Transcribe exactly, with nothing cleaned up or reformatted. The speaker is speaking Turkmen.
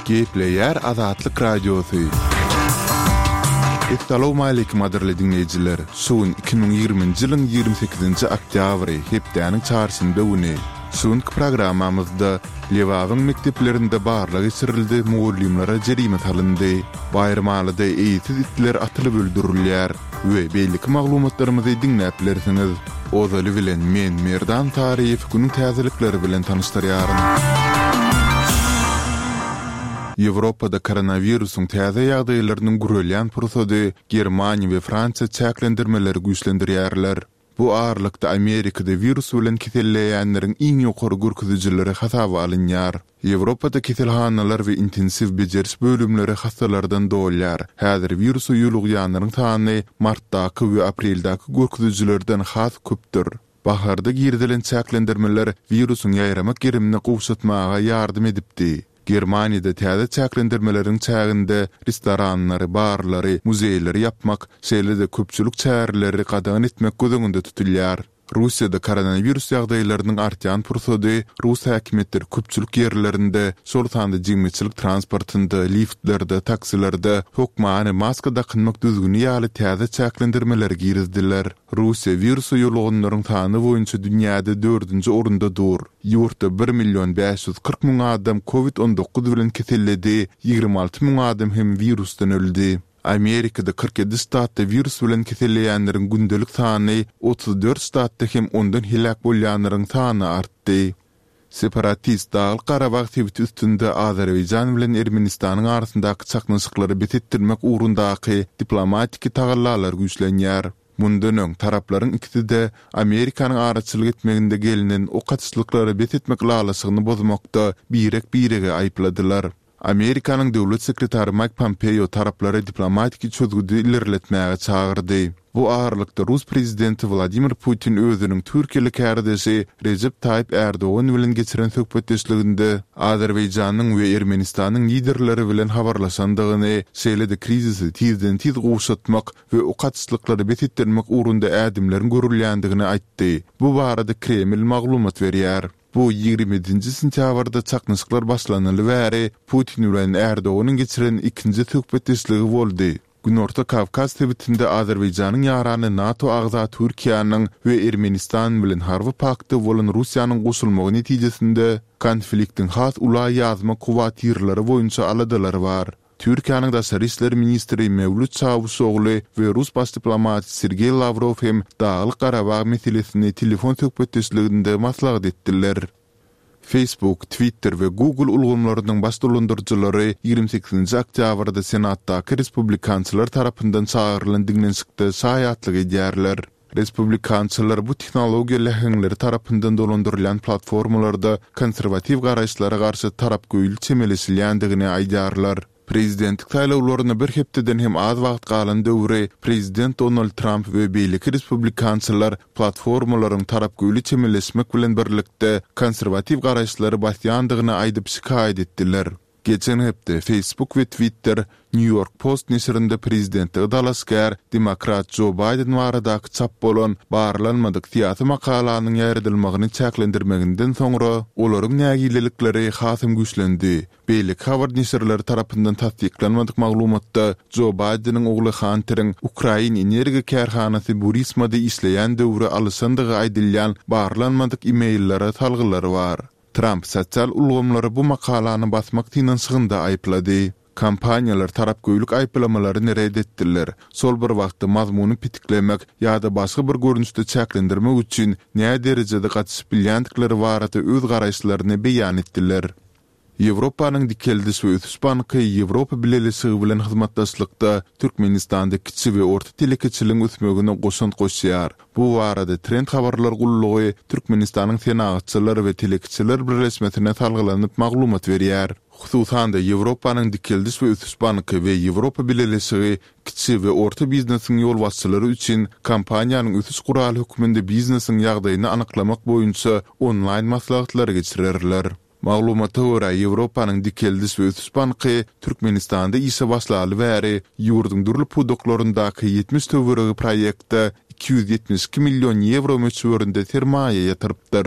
Gepleýär Azatlyk Radiosy. Essalawmaleýkim gadyrly diňleýjiler! Şu gün iki müň ýigriminji ýylyň ýigrimi sekizinji oktýabry, hepdäniň çarşenbe güni. Şu günki programmamyzda Lebabyň mekdeplerinde barlag geçirildi, mugallymlara jerime salyndy. Baýramalyda eýesiz itler atylyp öldürilýär we beýleki maglumatlarymyzy diňläp bilersiňiz. Ozaly bilen men Merdan Saryýew günüň täzelikleri bilen tanyşdyrýaryn. Ýewropada koronawirusyň täze ýagdaýlarynyň gürelýän pursady Germaniýa we Fransiýa çäklendirmeleri güýçlendirýärler. Bu aralykda Amerikada wirus bilen keselleýänleriň iň ýokary görkezijileri hasaba alynýar. Ýewropada keselhanalar we intensiw bejeriş bölümleri hassalardan dolýar. Häzir wirusa ýolugýanlaryň sany martdaky we apreldäki görkezijilerden has köpdür. Baharda girizilen çäklendirmeler wirusyň ýaýramak gerimini gowşatmaga ýardam edipdi. Germaniýada täze çäklendirmeleriň çäginde restoranlary, barlary, muzeýleri ýapmak, şeýle-de köpçülik çäreleri gadagan etmek göz öňünde tutulýar. Russiýada koronawirus ýagdaýlarynyň artýan pursady rus häkimiýetleri köpçülik ýerlerinde, şol sanda jemgyýetçilik transportynda, liftlerde, taksilerde hökmany maska dakynmak düzgüni ýaly täze çäklendirmeleri girizdiler. Russiýa wirusa ýoluganlaryň sany boýunça dünýäde dördünji orunda dur. Ýurtda bir million bäş ýüz kyrk müň adam covid on dokuz bilen keselledi, ýigrimi alty müň adam hem wirusdan öldi. Amerikada kyrk ýedi ştatda wirus bilen keselleýänleriň gündelik sany otuz dört ştatda hem ondan heläk bolýanlaryň sany artdy. Separatist Daglyk-Garabag sebiti üstünde Azerbaýjan bilen Ermenistanyň arasyndaky çaknyşyklary bes etdirmek ugrundaky diplomatiki tagallalar güýçlenýär. Mundan öň, taraplaryň ikisi-de Amerikanyň araçylyk etmeginde gelnen ok atyşlyklary bes etmek ylalaşygyny bozmakda birek-biregi aýypladylar. Amerikanyň döwlet sekretary Maýk Pompeo taraplary diplomatiki çözgüdi ilerletmäge çagyrdy. Bu aralykda rus prezidenti Wladimir Putin özüniň türkiýeli kärdeşi Rejep Taýyp Ärdogan bilen geçiren söhbetdeşliginde Azerbaýjanyň we Ermenistanyň liderleri bilen habarlaşandygyny, şeýle-de krizisi tizden-tiz gowşatmak we ok atyşlyklary bes etdirmek ugrunda ädimleriň görülýändigini aýtdy. Bu barada Kreml maglumat berýär. Bu ýigrimi ýedinji sentýabrda çaknyşyklar başlanaly bäri Putin bilen Erdoganyň geçiren ikinji söhbetdeşligi boldy. Günorta Kawkaz sebitinde Azerbaýjanyň ýarany NATO agza Türkiýäniň we Ermenistan bilen harby paktda bolan Russiýanyň goşulmagy netijesinde konfliktiň has ula ýazmak howatyrlary boýunça aladalar bar. Türkiýäniň daşary işler ministri Mewlüt Çawuşogly we rus baş diplomaty Sergeý Lawrow hem Daglyk-Garabag meselesini telefon söhbetdeşliginde maslahat etdiler. Facebook, Twitter we Google ulgamlarynyň baş dolandyryjylary ýigrimi sekizinji oktýabrda Senatdaky respublikançylar tarapyndan çagyrylan diňlenişikde şaýatlyk edýärler. Respublikançylar bu tehnologiýa läheňleri tarapyndan dolandyrylýan platformalarda konserwatiw garaýyşlara garşy tarapgöýli çemeleşilýändigini aýdýarlar. Prezidentlik saýlawlaryna bir hepdeden hem az wagt galan döwri prezident Donald Tramp we beýleki respublikançylar platformalaryň tarapgöýli çemeleşmek bilen birlikde konserwatiw garaýyşlary basýandygyny aýdyp şikaýat etdiler. Geçen hepde Facebook we Twitter New York Post neşirinde prezidentlige dalaşgär demokrat Jo Baýden baradaky çap bolan barlanmadyk syýasy makalanyň ýaýradylmagyny çäklendirmeginden soňra olaryň nägilelikleri hasam güýçlendi. Beýleki habar neşirleri tarapyndan tassyklanmadyk maglumatda Jo Baýdeniň ogly Hanteriň ukrain energiýa kärhanasy Burismada işleýän döwri alyşandygy aýdylýan barlanmadyk e-maillere salgylary bar. Tramp sosial ulgamlary bu makalany basmak synanyşygynda aýyplady. Kompaniýalar tarapgöýlük aýyplamalaryny ret etdiler. Şol bir wagtda mazmuny petiklemek ýa-da başga bir görnüşde çäklendirmek üçin näderejede gatyşyp bilýändikleri barada öz garaýyşlaryny beýan etdiler. Ýewropanyň Dikeldiş we ösüş banky Ýewropa Bileleşigi bilen hyzmatdaşlykda Türkmenistanda kiçi we orta telekeçiligiň ösmegine goşant goşýar. Bu barada Trend habarlar gullugy Türkmenistanyň Senagatçylar we telekeçiler birleşmesine salgylanyp maglumat berýär. Hususan-da, Ýewropanyň Dikeldiş we ösüş banky we Ýewropa Bileleşigi kiçi we orta biznesiň ýolbaşçylary üçin kompaniýanyň ösüş guraly hökmünde biznesiň ýagdaýyny anyklamak boýunça onlaýn maslahatlary geçirerler. Maglumata görä, Ýewropanyň Dikeldiş we ösüş banky Türkmenistanda işe başlaly bäri ýurduň dürli pudaklaryndaky ýetmiş töweregi proýektde iki ýüz ýetmiş iki million ýewro möçberinde sermaýa ýatyrypdyr.